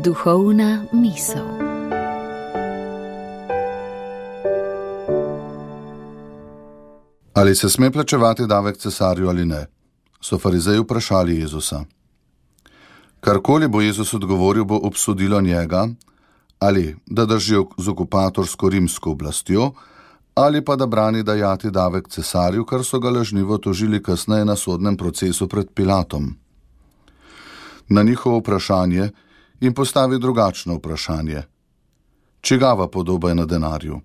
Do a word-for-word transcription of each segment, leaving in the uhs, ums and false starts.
Duhovna misel. Ali se sme plačevati davek cesarju ali ne? So farizeji vprašali Jezusa. Karkoli bo Jezus odgovoril, bo obsodilo njega, ali da drži z okupatorsko rimsko oblastjo, ali pa da brani dajati davek cesarju, kar so ga lažnivo tožili kasneje na sodnem procesu pred Pilatom. Na njihovo vprašanje jim postavi drugačno vprašanje. Čigava podoba je na denarju?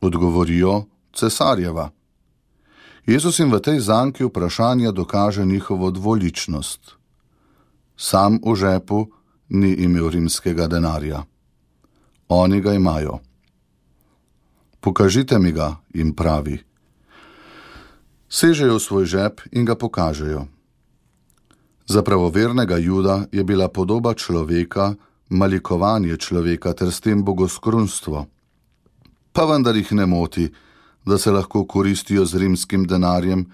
Odgovorijo, cesarjeva. Jezus jim v tej zanki vprašanja dokaže njihovo dvoličnost. Sam v žepu ni imel rimskega denarja. Oni ga imajo. Pokažite mi ga, jim pravi. Sežejo v svoj žep in ga pokažejo. Za pravovernega Juda je bila podoba človeka malikovanje človeka ter s tem bogoskrunstvo. Pa vendar jih ne moti, da se lahko koristijo z rimskim denarjem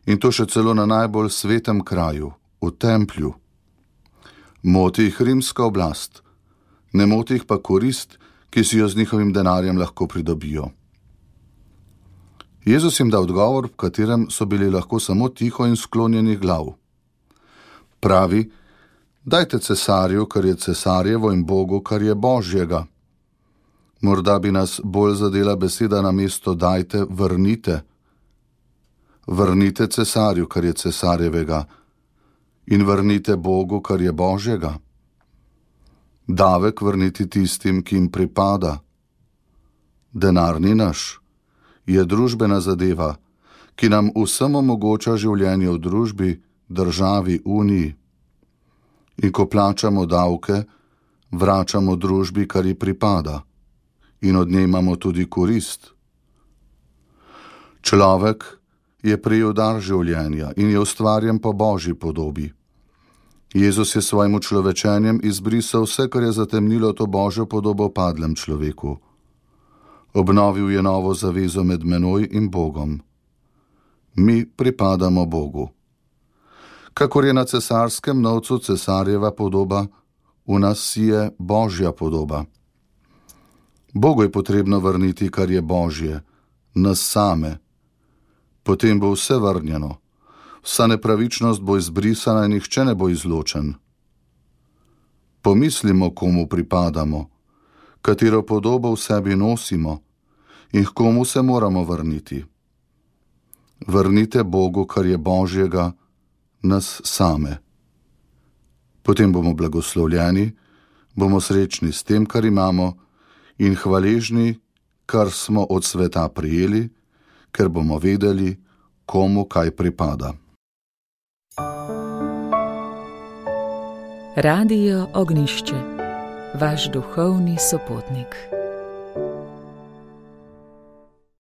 in to še celo na najbolj svetem kraju, v templju. Moti jih rimska oblast, ne moti jih pa korist, ki si jo z njihovim denarjem lahko pridobijo. Jezus jim da odgovor, v katerem so bili lahko samo tiho in sklonjenih glav. Pravi, dajte cesarju, kar je cesarjevo, in Bogu, kar je Božjega. Morda bi nas bolj zadela beseda na mesto dajte, vrnite. Vrnite cesarju, kar je cesarjevega, in vrnite Bogu, kar je Božjega. Davek vrniti tistim, ki jim pripada. Denar ni naš, je družbena zadeva, ki nam vsem omogoča življenje v družbi, državi, uniji. In ko plačamo davke, vračamo družbi, kar ji pripada, in od nje imamo tudi korist. Človek je prejel dar življenja in je ustvarjen po Božji podobi. Jezus je svojim učlovečenjem izbrisal vse, kar je zatemnilo to Božjo podobo padlem človeku. Obnovil je novo zavezo med menoj in Bogom. Mi pripadamo Bogu. Kakor je na cesarskem novcu cesarjeva podoba, v nas si je Božja podoba. Bogu je potrebno vrniti, kar je Božje, nas same. Potem bo vse vrnjeno, vsa nepravičnost bo izbrisana in nihče ne bo izločen. Pomislimo, komu pripadamo, katero podobo v sebi nosimo in k komu se moramo vrniti. Vrnite Bogu, kar je Božjega, nas same. Potem bomo blagoslovljeni, bomo srečni s tem, kar imamo, in hvaležni, kar smo od sveta prijeli, ker bomo vedeli, komu kaj pripada. Radio Ognjišče, vaš duhovni sopotnik.